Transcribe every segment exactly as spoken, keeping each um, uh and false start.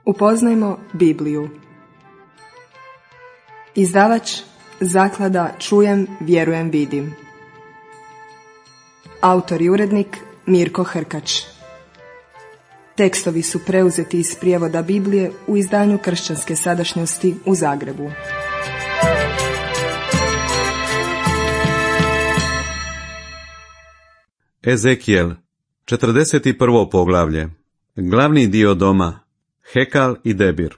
Upoznajmo Bibliju. Izdavač Zaklada Čujem, vjerujem, vidim. Autor i urednik Mirko Hrkač. Tekstovi su preuzeti iz prijevoda Biblije u izdanju Kršćanske sadašnjosti u Zagrebu. Ezekijel, četrdeset prvo poglavlje. Glavni dio doma, Hekal i Debir.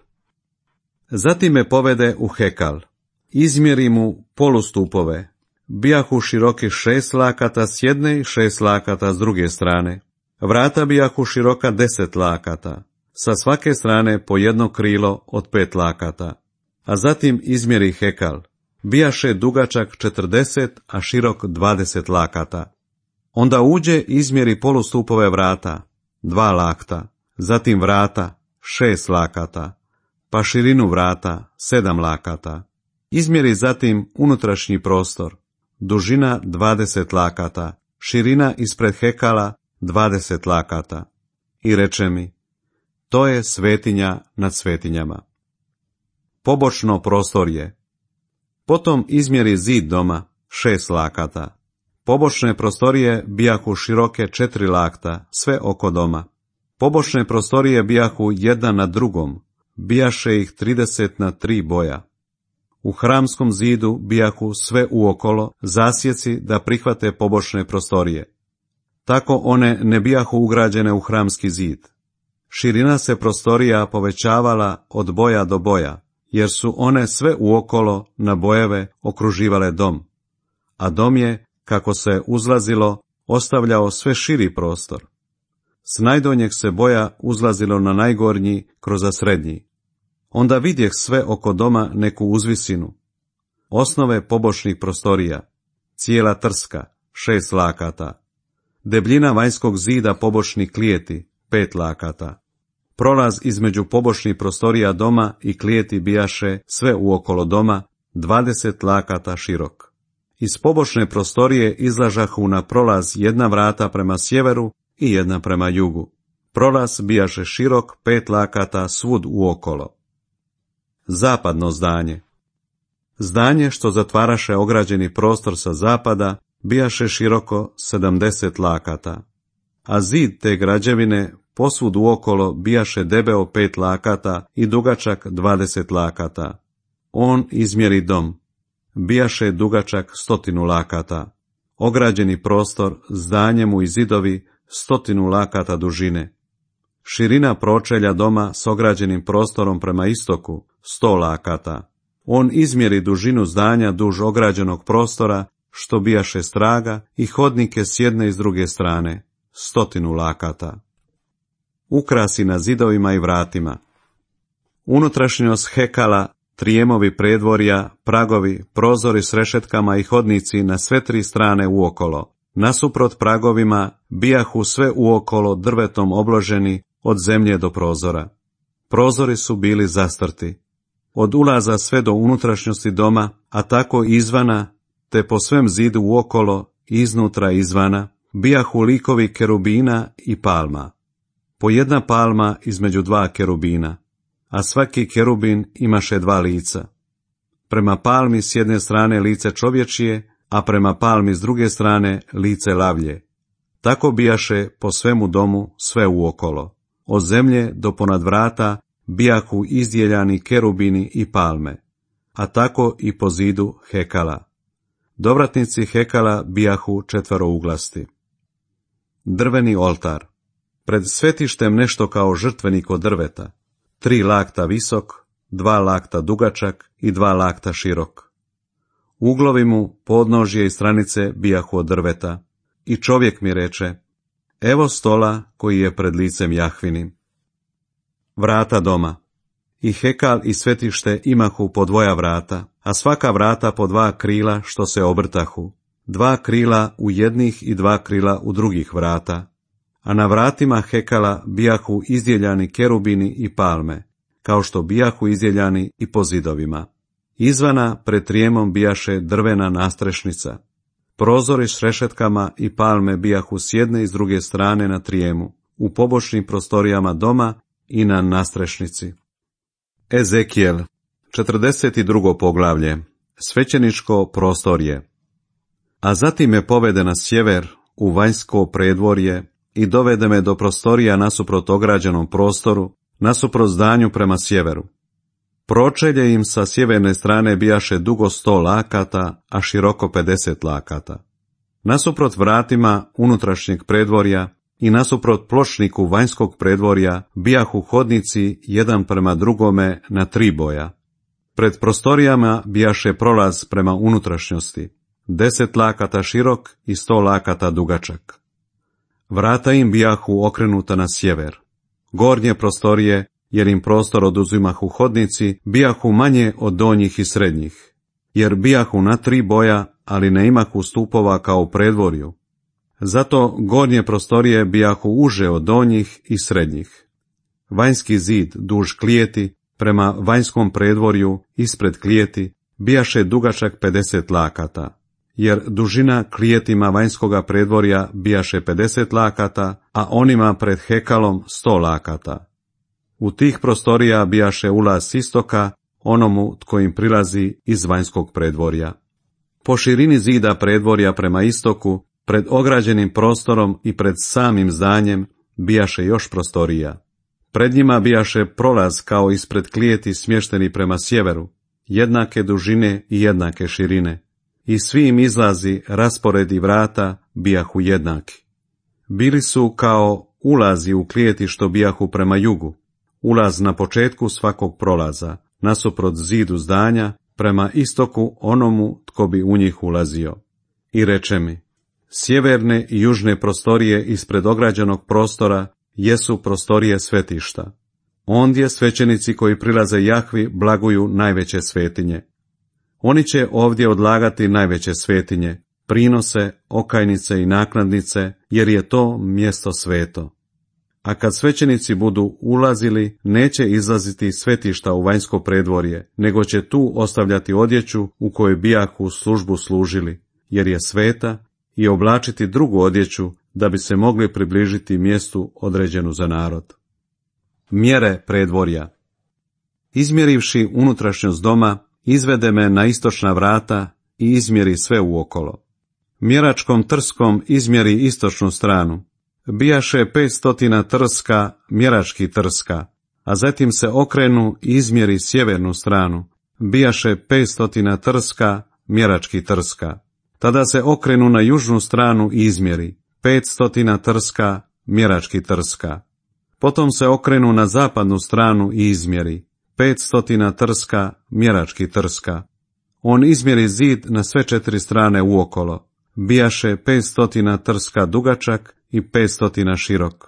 Zatim me povede u Hekal. Izmjeri mu polustupove. Bijahu široki šest lakata s jedne i šest lakata s druge strane. Vrata bijahu široka deset lakata. Sa svake strane po jedno krilo od pet lakata. A zatim izmjeri Hekal. Bijaše dugačak četrdeset, a širok dvadeset lakata. Onda uđe izmjeri polustupove vrata, dva lakta, zatim vrata, šest lakata, pa širinu vrata, sedam lakata. Izmjeri zatim unutrašnji prostor, dužina dvadeset lakata, širina ispred Hekala dvadeset lakata. I reče mi, to je svetinja nad svetinjama. Pobočno prostorje. Potom izmjeri zid doma, šest lakata. Pobočne prostorije bijahu široke četiri lakta, sve oko doma. Pobočne prostorije bijahu jedna na drugom, bijaše ih trideset na tri boja. U hramskom zidu bijahu sve uokolo zasjeci da prihvate pobočne prostorije. Tako one ne bijahu ugrađene u hramski zid. Širina se prostorija povećavala od boja do boja, jer su one sve uokolo na bojeve okruživale dom. A dom je, kako se uzlazilo, ostavljao sve širi prostor. S najdonjeg se boja uzlazilo na najgornji kroz srednji. Onda vidjeh sve oko doma neku uzvisinu. Osnove pobočnih prostorija, cijela trska, šest lakata. Debljina vanjskog zida pobočnih klijeti, pet lakata. Prolaz između pobočnih prostorija doma i klijeti bijaše sve uokolo doma, dvadeset lakata širok. Iz pobočne prostorije izlažahu na prolaz jedna vrata prema sjeveru i jedna prema jugu. Prolaz bijaše širok pet lakata svud uokolo. Zapadno zdanje. Zdanje što zatvaraše ograđeni prostor sa zapada bijaše široko sedamdeset lakata, a zid te građevine posvud uokolo bijaše debeo pet lakata i dugačak dvadeset lakata. On izmjeri dom. Bijaše dugačak stotinu lakata, ograđeni prostor, zdanje mu i zidovi stotinu lakata dužine. Širina pročelja doma s ograđenim prostorom prema istoku, sto lakata. On izmjeri dužinu zdanja duž ograđenog prostora, što bijaše straga, i hodnike s jedne i s druge strane, stotinu lakata. Ukrasi na zidovima i vratima. Unutrašnjost Hekala, trijemovi predvorja, pragovi, prozori s rešetkama i hodnici na sve tri strane uokolo. Nasuprot pragovima bijahu sve uokolo drvetom obloženi od zemlje do prozora. Prozori su bili zastrti. Od ulaza sve do unutrašnjosti doma, a tako izvana, te po svem zidu uokolo, iznutra izvana, bijahu likovi kerubina i palma. Po jedna palma između dva kerubina, a svaki kerubin imaše dva lica. Prema palmi s jedne strane lice čovječije, a prema palmi s druge strane lice lavlje. Tako bijaše po svemu domu sve uokolo. Od zemlje do ponad vrata bijahu izdjeljani kerubini i palme, a tako i po zidu Hekala. Dovratnici Hekala bijahu četverouglasti. Drveni oltar. Pred svetištem nešto kao žrtvenik od drveta. Tri lakta visok, dva lakta dugačak i dva lakta širok. Uglovi mu, podnožje i stranice bijahu od drveta. I čovjek mi reče, evo stola koji je pred licem Jahvinim. Vrata doma. I Hekal i svetište imahu po dvoja vrata, a svaka vrata po dva krila što se obrtahu. Dva krila u jednih i dva krila u drugih vrata. A na vratima Hekala bijahu izdjeljani kerubini i palme, kao što bijahu izdjeljani i po zidovima. Izvana pred trijemom bijaše drvena nastrešnica. Prozori s rešetkama i palme bijahu s jedne i s druge strane na trijemu, u pobočnim prostorijama doma i na nastrešnici. Ezekijel, četrdeset drugo poglavlje, svećeničko prostorje. A zatim me povede na sjever, u vanjsko predvorje, i dovede me do prostorija nasuprot ograđenom prostoru, nasuprot zdanju prema sjeveru. Pročelje im sa sjeverne strane bijaše dugo sto lakata, a široko pedeset lakata. Nasuprot vratima unutrašnjeg predvorja i nasuprot pločniku vanjskog predvorja bijahu hodnici jedan prema drugome na tri boja. Pred prostorijama bijaše prolaz prema unutrašnjosti, deset lakata širok i sto lakata dugačak. Vrata im bijahu okrenuta na sjever. Gornje prostorije, jer im prostor oduzimahu hodnici, bijahu manje od donjih i srednjih, jer bijahu na tri boja, ali ne imahu stupova kao u predvorju. Zato gornje prostorije bijahu uže od donjih i srednjih. Vanjski zid duž klijeti, prema vanjskom predvorju, ispred klijeti, bijaše dugačak pedeset lakata, jer dužina klijetima vanjskoga predvorja bijaše pedeset lakata, a onima pred hekalom sto lakata. U tih prostorija bijaše ulaz s istoka, onomu tko im prilazi iz vanjskog predvorja. Po širini zida predvorja prema istoku, pred ograđenim prostorom i pred samim zdanjem, bijaše još prostorija. Pred njima bijaše prolaz kao ispred klijeti smješteni prema sjeveru, jednake dužine i jednake širine. I svi im izlazi, rasporedi vrata bijahu jednaki. Bili su kao ulazi u klijeti što bijahu prema jugu, ulaz na početku svakog prolaza, nasuprot zidu zdanja, prema istoku onomu tko bi u njih ulazio. I reče mi, sjeverne i južne prostorije ispred ograđenog prostora jesu prostorije svetišta. Ondje svećenici koji prilaze Jahvi blaguju najveće svetinje. Oni će ovdje odlagati najveće svetinje, prinose, okajnice i naknadnice, jer je to mjesto sveto. A kad svećenici budu ulazili, neće izlaziti iz svetišta u vanjsko predvorje, nego će tu ostavljati odjeću u kojoj bijahu službu služili, jer je sveta, i oblačiti drugu odjeću, da bi se mogli približiti mjestu određenu za narod. Mjere predvorja. Izmjerivši unutrašnjost doma, izvede me na istočna vrata i izmjeri sve uokolo. Mjeračkom trskom izmjeri istočnu stranu. Bijaše petstotina trska, mjerački trska, a zatim se okrenu i izmjeri sjevernu stranu. Bijaše petstotina trska, mjerački trska. Tada se okrenu na južnu stranu i izmjeri petstotina trska, mjerački trska. Potom se okrenu na zapadnu stranu i izmjeri petstotina trska, mjerački trska. On izmjeri zid na sve četiri strane uokolo. Bijaše petstotina trska dugačak i petstotina širok.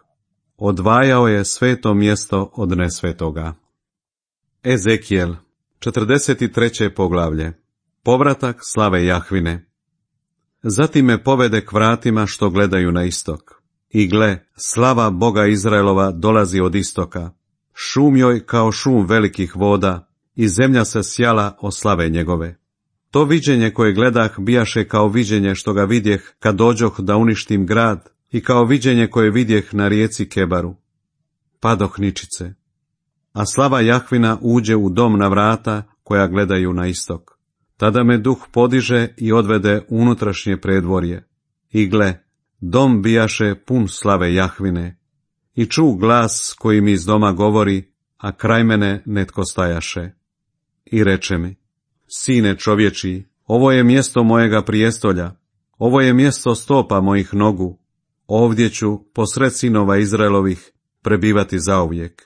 Odvajao je sveto mjesto od nesvetoga. Ezekijel, četrdeset treće poglavlje. Povratak slave Jahvine. Zatim me povede k vratima što gledaju na istok. I gle, slava Boga Izraelova dolazi od istoka. Šum joj kao šum velikih voda, i zemlja se sjala od slave njegove. To viđenje koje gledah bijaše kao viđenje što ga vidjeh kad dođoh da uništim grad, i kao viđenje koje vidjeh na rijeci Kebaru. Padoh ničice. A slava Jahvina uđe u dom na vrata koja gledaju na istok. Tada me duh podiže i odvede u unutrašnje predvorje. I gle, dom bijaše pun slave Jahvine. I ču glas koji mi iz doma govori, a kraj mene netko stajaše. I reče mi, sine čovječiji, ovo je mjesto mojega prijestolja, ovo je mjesto stopa mojih nogu, ovdje ću, posred sinova Izraelovih, prebivati zauvijek.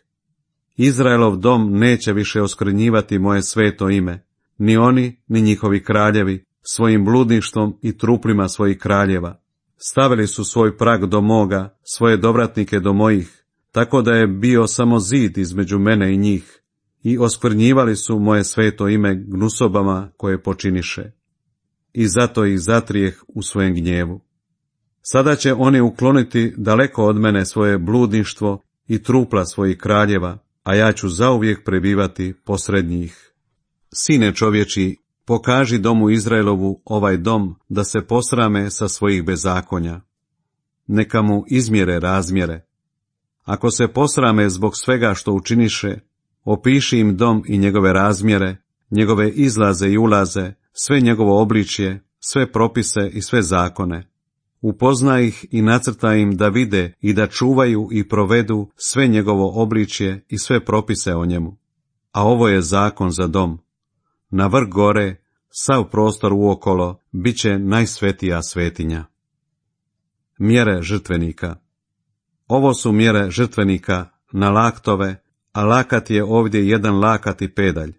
Izraelov dom neće više oskvrnjivati moje sveto ime, ni oni, ni njihovi kraljevi, svojim bludništvom i truplima svojih kraljeva. Stavili su svoj prag do moga, svoje dovratnike do mojih, tako da je bio samo zid između mene i njih, i oskvrnjivali su moje sveto ime gnusobama koje počiniše. I zato ih zatrijeh u svojem gnjevu. Sada će oni ukloniti daleko od mene svoje bludništvo i trupla svojih kraljeva, a ja ću zauvijek prebivati posred njih. Sine čovječi, pokaži domu Izraelovu ovaj dom da se posrame sa svojih bezakonja. Neka mu izmjere razmjere. Ako se posrame zbog svega što učiniše, opiši im dom i njegove razmjere, njegove izlaze i ulaze, sve njegovo obličje, sve propise i sve zakone. Upoznaj ih i nacrtaj im da vide i da čuvaju i provedu sve njegovo obličje i sve propise o njemu. A ovo je zakon za dom. Na vrh gore, sav prostor uokolo, bit će najsvetija svetinja. Mjere žrtvenika. Ovo su mjere žrtvenika na laktove, a lakat je ovdje jedan lakat i pedalj.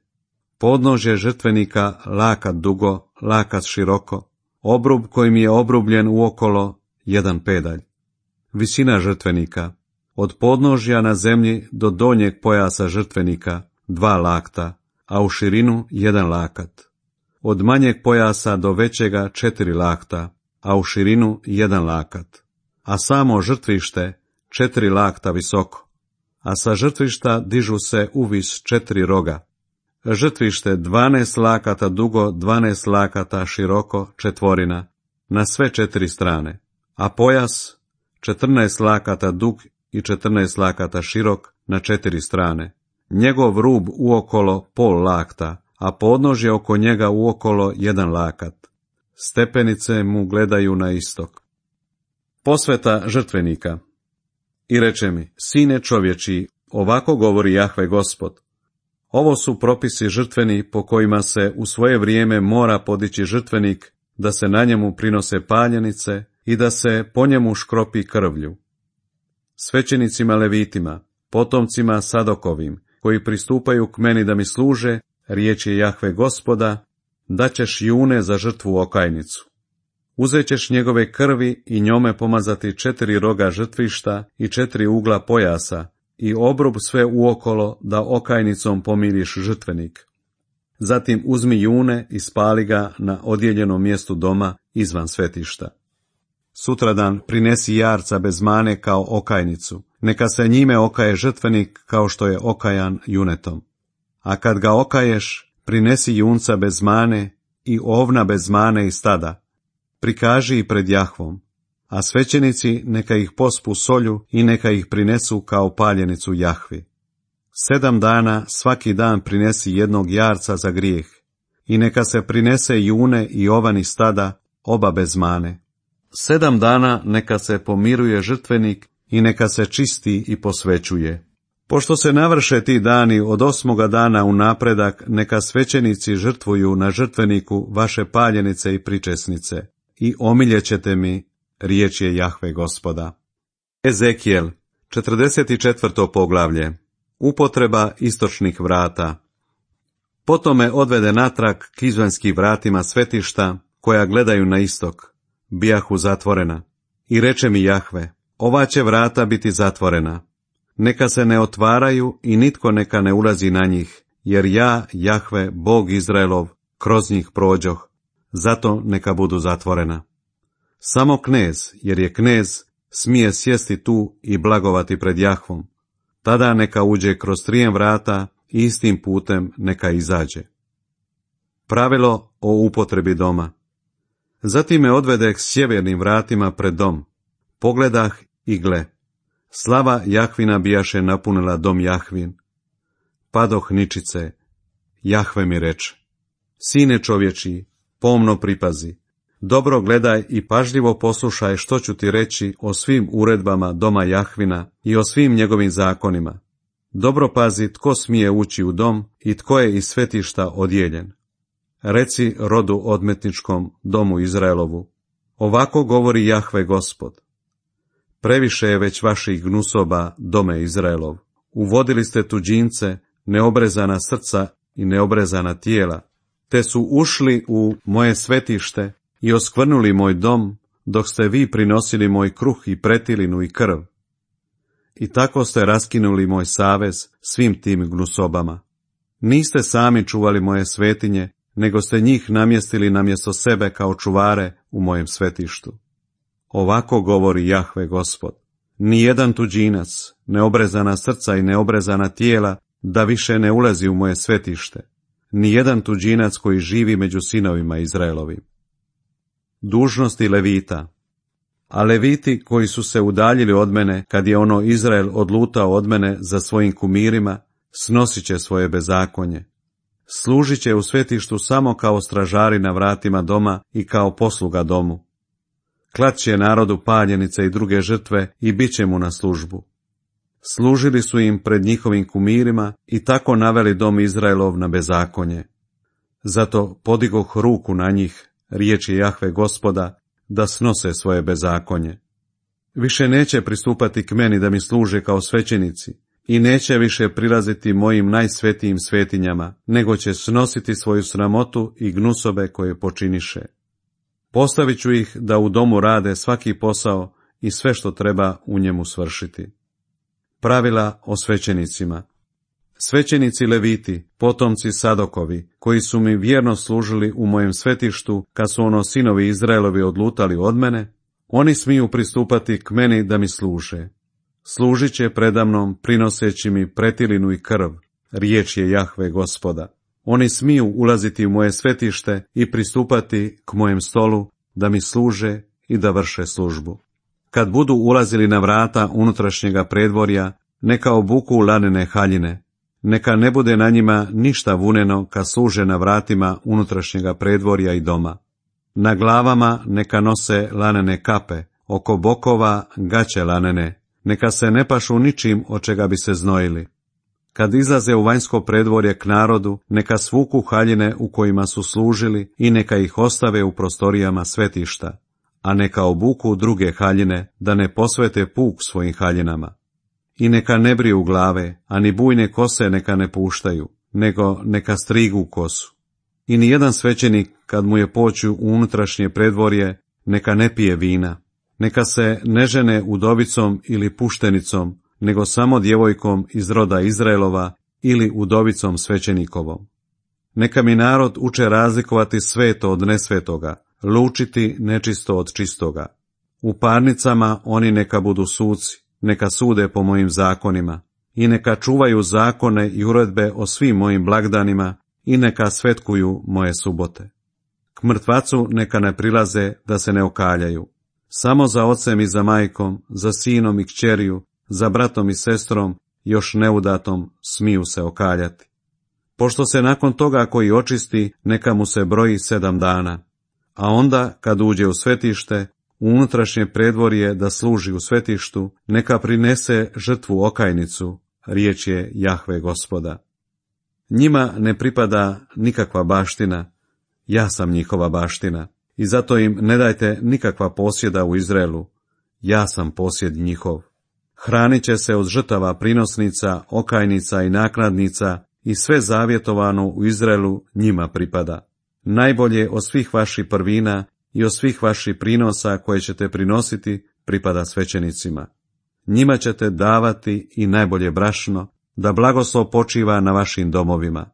Podnožje žrtvenika lakat dugo, lakat široko, obrub kojim je obrubljen uokolo jedan pedalj. Visina žrtvenika. Od podnožja na zemlji do donjeg pojasa žrtvenika dva lakta, a u širinu jedan lakat. Od manjeg pojasa do većega četiri lakta, a u širinu jedan lakat. A samo žrtvište četiri lakta visoko, a sa žrtvišta dižu se uvis četiri roga. Žrtvište dvanaest lakata dugo, dvanaest lakata široko, četvorina, na sve četiri strane, a pojas četrnaest lakata dug i četrnaest lakata širok na četiri strane. Njegov rub uokolo pol lakta, a podnožje oko njega uokolo jedan lakat. Stepenice mu gledaju na istok. Posveta žrtvenika. I reče mi, sine čovječi, ovako govori Jahve Gospod. Ovo su propisi žrtveni po kojima se u svoje vrijeme mora podići žrtvenik, da se na njemu prinose paljenice i da se po njemu škropi krvlju. Svećenicima levitima, potomcima Sadokovim, koji pristupaju k meni da mi služe, riječ je Jahve Gospoda, daćeš june za žrtvu okajnicu. Uzet ćeš njegove krvi i njome pomazati četiri roga žrtvišta i četiri ugla pojasa i obrub sve uokolo da okajnicom pomiriš žrtvenik. Zatim uzmi june i spali ga na odjeljenom mjestu doma izvan svetišta. Sutradan prinesi jarca bez mane kao okajnicu, neka se njime okaje žrtvenik kao što je okajan junetom. A kad ga okaješ, prinesi junca bez mane i ovna bez mane i stada. Prikaži ih pred Jahvom, a svećenici neka ih pospu solju i neka ih prinesu kao paljenicu Jahvi. Sedam dana svaki dan prinesi jednog jarca za grijeh i neka se prinese june i ovani stada, oba bez mane. Sedam dana neka se pomiruje žrtvenik i neka se čisti i posvećuje. Pošto se navrše ti dani od osmoga dana u napredak, neka svećenici žrtvuju na žrtveniku vaše paljenice i pričesnice i omiljećete mi, riječ je Jahve Gospoda. Ezekijel, četrdeset četvrto poglavlje. Upotreba istočnih vrata. Potom me odvede natrag k izvanskim vratima svetišta, koja gledaju na istok, bijahu zatvorena. I reče mi Jahve, ova će vrata biti zatvorena. Neka se ne otvaraju i nitko neka ne ulazi na njih, jer ja, Jahve, Bog Izraelov, kroz njih prođoh, zato neka budu zatvorena. Samo knez, jer je knez, smije sjesti tu i blagovati pred Jahvom. Tada neka uđe kroz trijem vrata i istim putem neka izađe. Pravilo o upotrebi doma. Zatim me odvede k sjevernim vratima pred dom. Pogledah i gle. Slava Jahvina bijaše napunila dom Jahvin. Padoh ničice. Jahve mi reče, sine čovječi, pomno pripazi. Dobro gledaj i pažljivo poslušaj što ću ti reći o svim uredbama doma Jahvina i o svim njegovim zakonima. Dobro pazi tko smije ući u dom i tko je iz svetišta odjeljen. Reci rodu odmetničkom domu Izraelovu, ovako govori Jahve Gospod. Previše je već vaših gnusoba, dome Izraelov. Uvodili ste tuđince, neobrezana srca i neobrezana tijela, te su ušli u moje svetište i oskvrnuli moj dom, dok ste vi prinosili moj kruh i pretilinu i krv. I tako ste raskinuli moj savez svim tim gnusobama. Niste sami čuvali moje svetinje, nego ste njih namjestili namjesto sebe kao čuvare u mojem svetištu. Ovako govori Jahve Gospod. Nijedan tuđinac, neobrezana srca i neobrezana tijela, da više ne ulazi u moje svetište. Nijedan tuđinac koji živi među sinovima Izraelovim. Dužnosti levita. A Leviti koji su se udaljili od mene, kad je ono Izrael odlutao od mene za svojim kumirima, snosit će svoje bezakonje. Služit će u svetištu samo kao stražari na vratima doma i kao posluga domu. Klat će narodu paljenice i druge žrtve i bit će mu na službu. Služili su im pred njihovim kumirima i tako naveli dom Izraelov na bezakonje. Zato podigoh ruku na njih, riječi Jahve Gospoda, da snose svoje bezakonje. Više neće pristupati k meni da mi služe kao svećenici i neće više prilaziti mojim najsvetijim svetinjama, nego će snositi svoju sramotu i gnusobe koje počiniše. Postavit ću ih da u domu rade svaki posao i sve što treba u njemu svršiti. Pravila o svećenicima. Svećenici Leviti, potomci Sadokovi, koji su mi vjerno služili u mojem svetištu, kad su ono sinovi Izraelovi odlutali od mene, oni smiju pristupati k meni da mi služe. Služit će predamnom, prinoseći mi pretilinu i krv, riječ je Jahve Gospoda. Oni smiju ulaziti u moje svetište i pristupati k mojem stolu, da mi služe i da vrše službu. Kad budu ulazili na vrata unutrašnjega predvorja, neka obuku lanene haljine, neka ne bude na njima ništa vuneno kad služe na vratima unutrašnjega predvorja i doma. Na glavama neka nose lanene kape, oko bokova gaće lanene, neka se ne pašu ničim od čega bi se znojili. Kad izlaze u vanjsko predvorje k narodu, neka svuku haljine u kojima su služili i neka ih ostave u prostorijama svetišta, a neka obuku druge haljine, da ne posvete puk svojim haljinama. I neka ne briju glave, a ni bujne kose neka ne puštaju, nego neka strigu kosu. I ni jedan svećenik, kad mu je poći u unutrašnje predvorje, neka ne pije vina, neka se ne žene udovicom ili puštenicom, nego samo djevojkom iz roda Izraelova ili udovicom svećenikovom. Neka mi narod uče razlikovati sveto od nesvetoga, lučiti nečisto od čistoga. U parnicama oni neka budu suci, neka sude po mojim zakonima, i neka čuvaju zakone i uredbe o svim mojim blagdanima, i neka svetkuju moje subote. K mrtvacu neka ne prilaze da se ne okaljaju. Samo za ocem i za majkom, za sinom i kćeriju, za bratom i sestrom, još neudatom, smiju se okaljati. Pošto se nakon toga koji očisti, neka mu se broji sedam dana. A onda, kad uđe u svetište, u unutrašnje predvorje da služi u svetištu, neka prinese žrtvu okajnicu, riječ je Jahve Gospoda. Njima ne pripada nikakva baština, ja sam njihova baština, i zato im ne dajte nikakva posjeda u Izraelu, ja sam posjed njihov. Hranit će se od žrtava prinosnica, okajnica i naknadnica, i sve zavjetovano u Izraelu njima pripada. Najbolje od svih vaših prvina i od svih vaših prinosa koje ćete prinositi pripada svećenicima. Njima ćete davati i najbolje brašno, da blagoslov počiva na vašim domovima.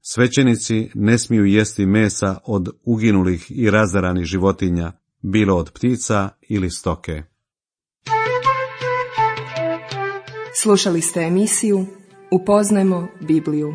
Svećenici ne smiju jesti mesa od uginulih i razaranih životinja, bilo od ptica ili stoke. Slušali ste emisiju Upoznajmo Bibliju.